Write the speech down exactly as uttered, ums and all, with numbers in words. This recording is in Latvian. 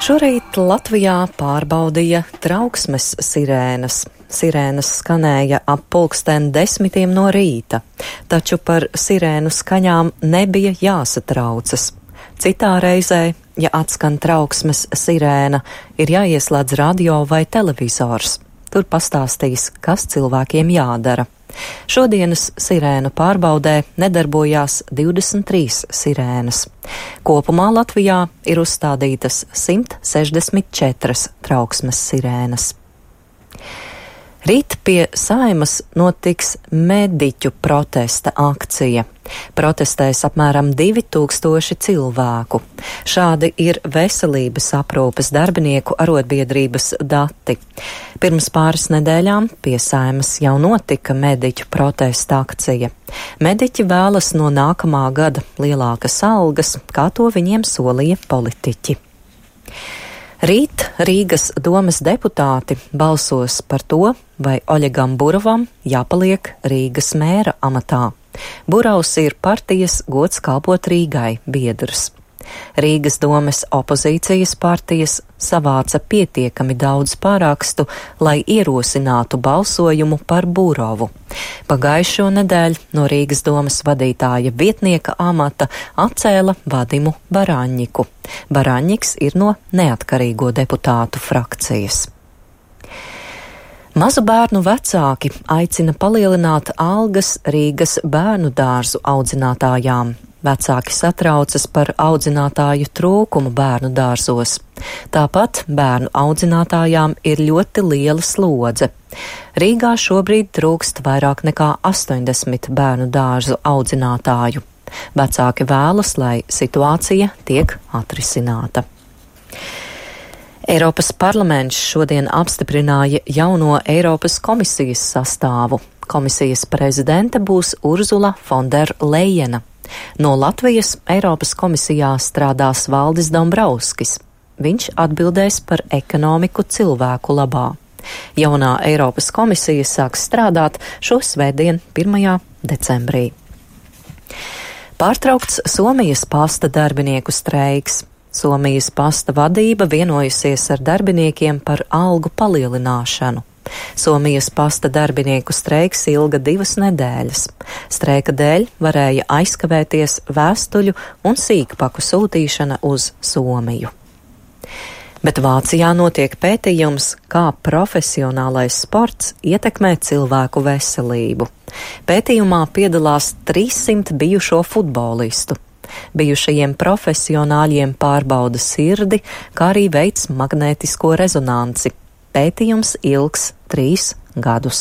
Šorīt Latvijā pārbaudīja trauksmes sirēnas. Sirēnas skanēja ap pulksten desmitiem no rīta, taču par sirēnu skaņām nebija jāsatraucas. Citā reizē, ja atskan trauksmes sirēna, ir jāieslēdz radio vai televizors. Tur pastāstīs, kas cilvēkiem jādara. Šodienas sirēnu pārbaudē nedarbojās divdesmit trīs sirēnas. Kopumā Latvijā ir uzstādītas simt sešdesmit četras trauksmes sirēnas. Rīt pie Saeimas notiks mediķu protesta akcija. Protestēs apmēram divi tūkstoši cilvēku. Šādi ir veselības aprūpes darbinieku arotbiedrības dati. Pirms pāris nedēļām pie Saeimas jau notika mediķu protesta akcija. Mediķi vēlas no nākamā gada lielākas algas, kā to viņiem solīja politiķi. Rīt Rīgas domes deputāti balsos par to, vai Oļegam Burovam jāpaliek Rīgas mēra amatā. Burovs ir partijas Gods kalpot Rīgai biedrs. Rīgas domes opozīcijas partijas savāca pietiekami daudz pārakstu, lai ierosinātu balsojumu par Burovu. Pagājušo nedēļu no Rīgas domes vadītāja vietnieka amata atcēla Vadimu Baraņņiku. Baraņņiks ir no neatkarīgo deputātu frakcijas. Mazu bērnu vecāki aicina palielināt algas Rīgas bērnu dārzu audzinātājām. Vecāki satraucas par audzinātāju trūkumu bērnu dārzos. Tāpat bērnu audzinātājām ir ļoti liela slodze. Rīgā šobrīd trūkst vairāk nekā astoņdesmit bērnu dārzu audzinātāju. Vecāki vēlas, lai situācija tiek atrisināta. Eiropas parlaments šodien apstiprināja jauno Eiropas komisijas sastāvu. Komisijas prezidente būs Urzula Fonderlejena. No Latvijas Eiropas komisijā strādās Valdis Dombrovskis. Viņš atbildēs par ekonomiku cilvēku labā. Jaunā Eiropas komisija sāks strādāt šo svētdien, pirmajā decembrī. Pārtraukts Somijas pasta darbinieku streiks. Somijas pasta vadība vienojusies ar darbiniekiem par algu palielināšanu. Somijas pasta darbinieku streiks ilga divas nedēļas. Streika dēļ varēja aizkavēties vēstuļu un sīkpaku sūtīšana uz Somiju. Bet Vācijā notiek pētījums, kā profesionālais sports ietekmē cilvēku veselību. Pētījumā piedalās trīssimt bijušo futbolistu. Bijušajiem profesionāļiem pārbauda sirdi, kā arī veic magnētisko rezonanci. Pētījums ilgs trīs gadus.